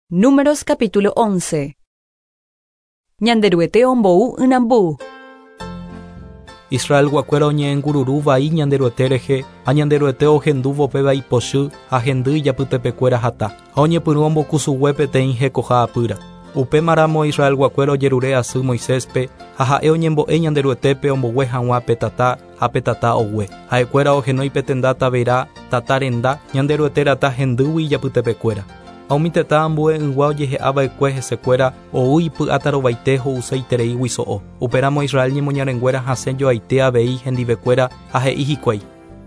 Números capítulo 11. Ñanderuete ombou ynambu. Israelguakuéra oñe'ẽngururu vai Ñanderuete rehe, ha Ñanderuete ohendúvo péva ipochy ha hendy ijapytepekuéra hata, ha oñepyrũ ombokusugue peteĩ hekoha apýra. Upémaramo Israelguakuéra ojerure asy Moiséspe, ha ha'e oñembo'e Ñanderuetépe ombogue hag̃ua pe tata, ha pe tata ogue. Ha'ekuéra ohenói pe tenda Taberá, tata renda, Ñanderuete rata hendýgui ijapytepekuéra. Ha umi tetã ambue'ỹgua ojehe'a va'ekue hesekuéra ou ipy'atarovaite ho'useitereígui so'o. Upéramo Israel ñemoñarenguéra hasẽ joaite avei hendivekuéra ha he'i hikuái.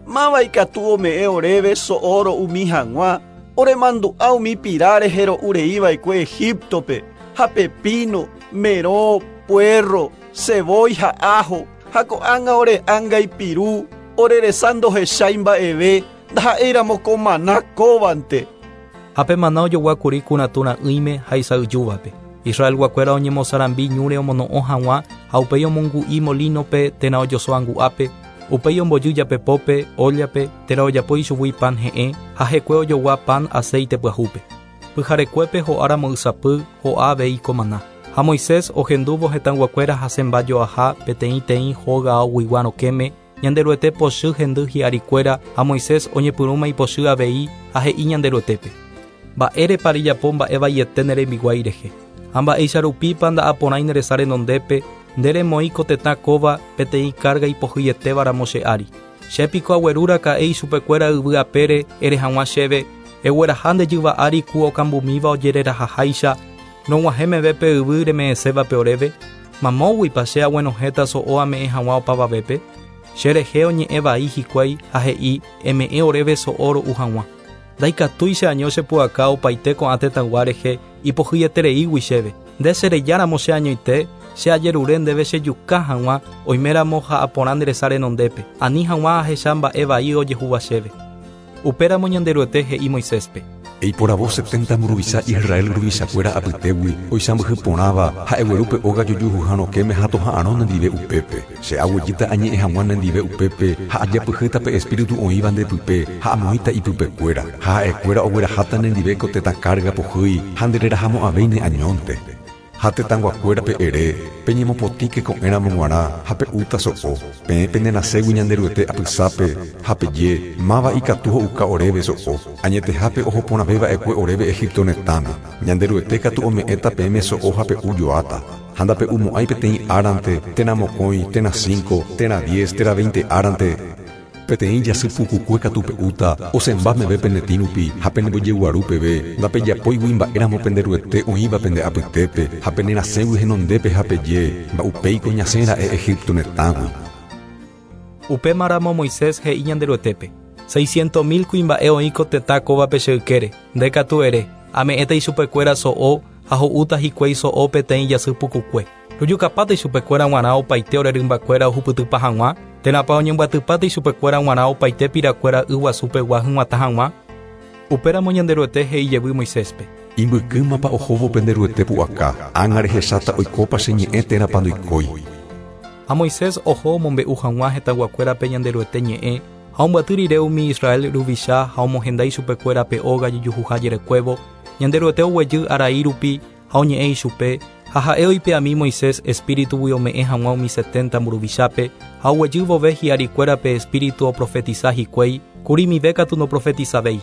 Máva ikatu ome'ẽ oréve so'o ro'umi hag̃ua, oremandu'a umi pira rehe ro'u rei va'ekue Egíptope, ha pepíno, merõ, puérro, sevói ha áho, ha ko'ág̃a ore ánga ipiru, ore resa ndohechái mba'eve, ndaha'éiramo ko maná kóvante. Ha pe maná ojogua kuri kuratũ ra'ỹime ha isa'yjúvape. Israelguakuéra oñemosarambi ñúre omono'õ hag̃ua ha upéi omongu'i molínope térã ojoso angu'ápe, upéi ombojy japepópe, óllape, térã ojapo ichugui pan he'ẽ ha hekue ojogua pan aséite pyahúpe. Pyharekuépe ho'áramo ysapy, ho'a avei ko maná. Ha Moisés ohendúvo hetãyguakuéra hasẽmba jo'aha peteĩ-teĩ hóga aoguigua rokẽme, Ñanderuete pochy hendy hi'arikuéra ha Moisés oñepyrũma ipochy avei ha he'i Ñanderuetépe, Mba'érepa rejapo mba'e vaiete ne rembiguái rehe? Ha mba'éicha rupípa nda'aporãi ne resa renondépe, nde remoĩ ko tetã kóva peteĩ kárga ipohyietéva ramo che ári? Che piko agueru raka'e ichupekuéra yvy apére ere hag̃ua chéve, Egueraha nde jyva ári ku okambumíva ojererahaháicha, rog̃uahẽ meve pe yvy reme'ẽsévape oréve? Mamóguipa che aguenohẽta so'o ame'ẽ hag̃ua opavavépe? Che rehe oñe'ẽ vai hikuái ha he'i, Eme'ẽ oréve so'o ro'u hag̃ua. Ndaikatúi che año che pu'aka opaite ko'ã tetãygua rehe ipohyietereígui chéve. Nde che rejáramo che añoite, che ajerure ndéve che juka hag̃ua, oiméramo ha'a porã nde resa renondépe, ani hag̃ua ahecha mba'e vai ojehúva chéve. Upéramo Ñanderuete he'i Moiséspe. Eiporavo setenta mburuvicha Israel ruvichakuéra apytégui oisãmbyhy porãva ha egueru pe óga jojuhuha rokẽme ha toha'arõ nendive upépe. Che aguejýta añe'ẽ hag̃ua nendive upépe ha ajapyhýta pe espíritu oĩva nde pype ha amoĩta ipypekuéra, ha ha'ekuéra ogueraháta nendive ko tetã kárga pohýi ha ndererahamo'ãvéi ne añónte. Ha tetãyguakuérape ere, Peñemopotĩke ko'ẽramo g̃uarã ha pe'úta so'o. Peẽ penerasẽgui Ñanderuete apysápe, ha peje, Máva ikatu ho'uka oréve so'o? Añetehápe oho porãve va'ekue oréve Egipto retãme. Ñanderuete katu ome'ẽta peẽme so'o ha pe'u joáta. Ha ndape'umo'ãi peteĩ árante, térã mokõi, térã cinco, térã diez, térã veinte árante. Peteĩ jasy pukukue katu pe'úta, osẽmba meve pene tĩ rupi ha pene mbojeguaru peve, ndapejapóigui mba'éramo pende Ruete oĩva pende apytépe ha pene rasẽgui henondépe ha peje, Mba'upéiko ñasẽ ra'e Egipto retãgui. Upémaramo Moisés he'i Ñanderuetépe, Seisciento mil kuimba'e oĩ ko tetã kóvape che ykére, nde katu ere, Ame'ẽta ichupekuéra so'o ha ho'úta hikuái so'o peteĩ jasy pukukue. Rojukapáta ichupekuéra g̃uarã opaite ore rymbakuéra ohupytypa hag̃ua, térãpa oñembyatypáta ichupekuéra g̃uarã opaite pirakuéra yguasu pegua hyg̃uatã hag̃ua? Upéramo Ñanderuete he'i jevy Moiséspe. Imbykýmapa ohóvo pende Ruete pu'aka, ág̃a rehecháta oikópa che ñe'ẽ térãpa ndoikói. Ha Moisés oho omombe'u hag̃ua hetãyguakuérape Ñanderuete ñe'ẽ, ha ombyaty rire umi Israel ruvicha ha omohenda ichupekuéra pe óga jejuhuha jerekuévo, Ñanderuete oguejy arai rupi Ha oñe'ẽ ichupe, ha ha'e oipe'ami Moisés espíritugui ome'ẽ hag̃ua umi setenta mburuvichápe, ha oguejy vove hi'arikuéra pe espíritu oprofetisa hikuái, kurimive katu ndoprofetisavéi.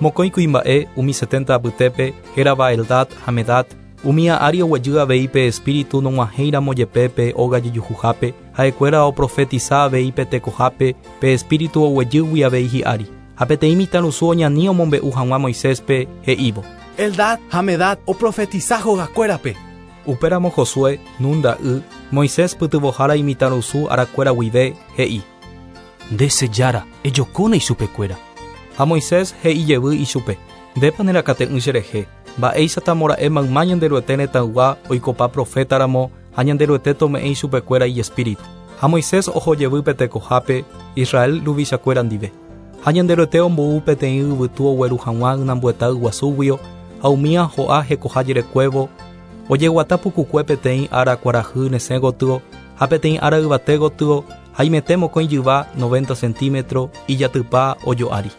Mokõi kuimba'e, umi setenta apytépe, hérava Eldad ha Medad, umía ári oguejy avei pe espíritu nog̃uahẽiramo jepe pe óga jejuhuhápe, ha'ekuéra oprofetisa avei pe tekohápe, pe espíritu oguejýgui avei hi'ári. Ha peteĩ mitãrusu oñani omombe'u hag̃ua Moiséspe, he'ívo. Eldad ha Medad oprofetisa hogakuérape. Upéramo Josué, Nun ra'y, Moisés pytyvõhára imitãrusu arakuéra guive, he'i. Nde che Jára, ejokóna ichupekuéra. Ha Moisés he'i jevy ichupe, Ndépa nerakate'ỹ cherehe, mba'éichatamora'e mayma Ñanderuete retãygua oikopa proféta ramo ha Ñanderuete tome'ẽ ichupekuéra ijespíritu. Ha Moisés oho jevy pe tekohápe, Israel ruvichakuéra ndive. Ha Ñanderuete ombou peteĩ yvytu ogueru hag̃ua ynambueta yguasúguio, ha umía ho'a hekoha jerekuévo, ojeguata pukukue peteĩ ára kuarahy resẽ gotyo ha peteĩ ára yvate gotyo, haimete mokõi jyva, noventa centímetro, ijatypa ojo'ári.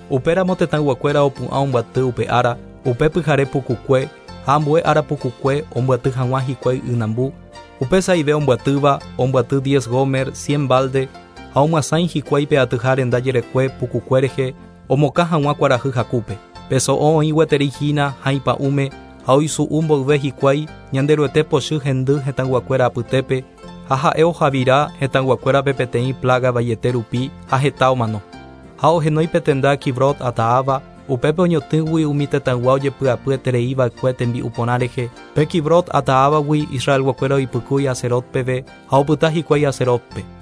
Upéramo tetãyguakuéra opu'ã ombyaty upe ára, Upe pyhare pukukue ha ambue ára pukukue ombyaty hag̃ua hikuái ynambu. Upe sa'ive ombyatýva, ombyaty diez gomer, cien balde, ha omyasãi hikuái pe atyha renda jerekue pukukue rehe omokã hag̃ua kuarahy hakúpe. Pe so'o oĩ gueteri hína ha ipa'ũme ha oisu'u mboyve hikuái Ñanderuete pochy hendy hetãyguakuéra apytépe ha ha'e ohavira hetãyguakuérape peteĩ plága vaiete rupi ha heta omano. Ha ohenói pe tenda Kibrot Hataava, upépe oñotỹgui umi tetãygua ojepy'apy eterei va'ekue tembi'u porã rehe. Pe Kibrot Hataávagui Israelguakuéra oipykúi Haserot peve ha opyta hikuái Haserotpe.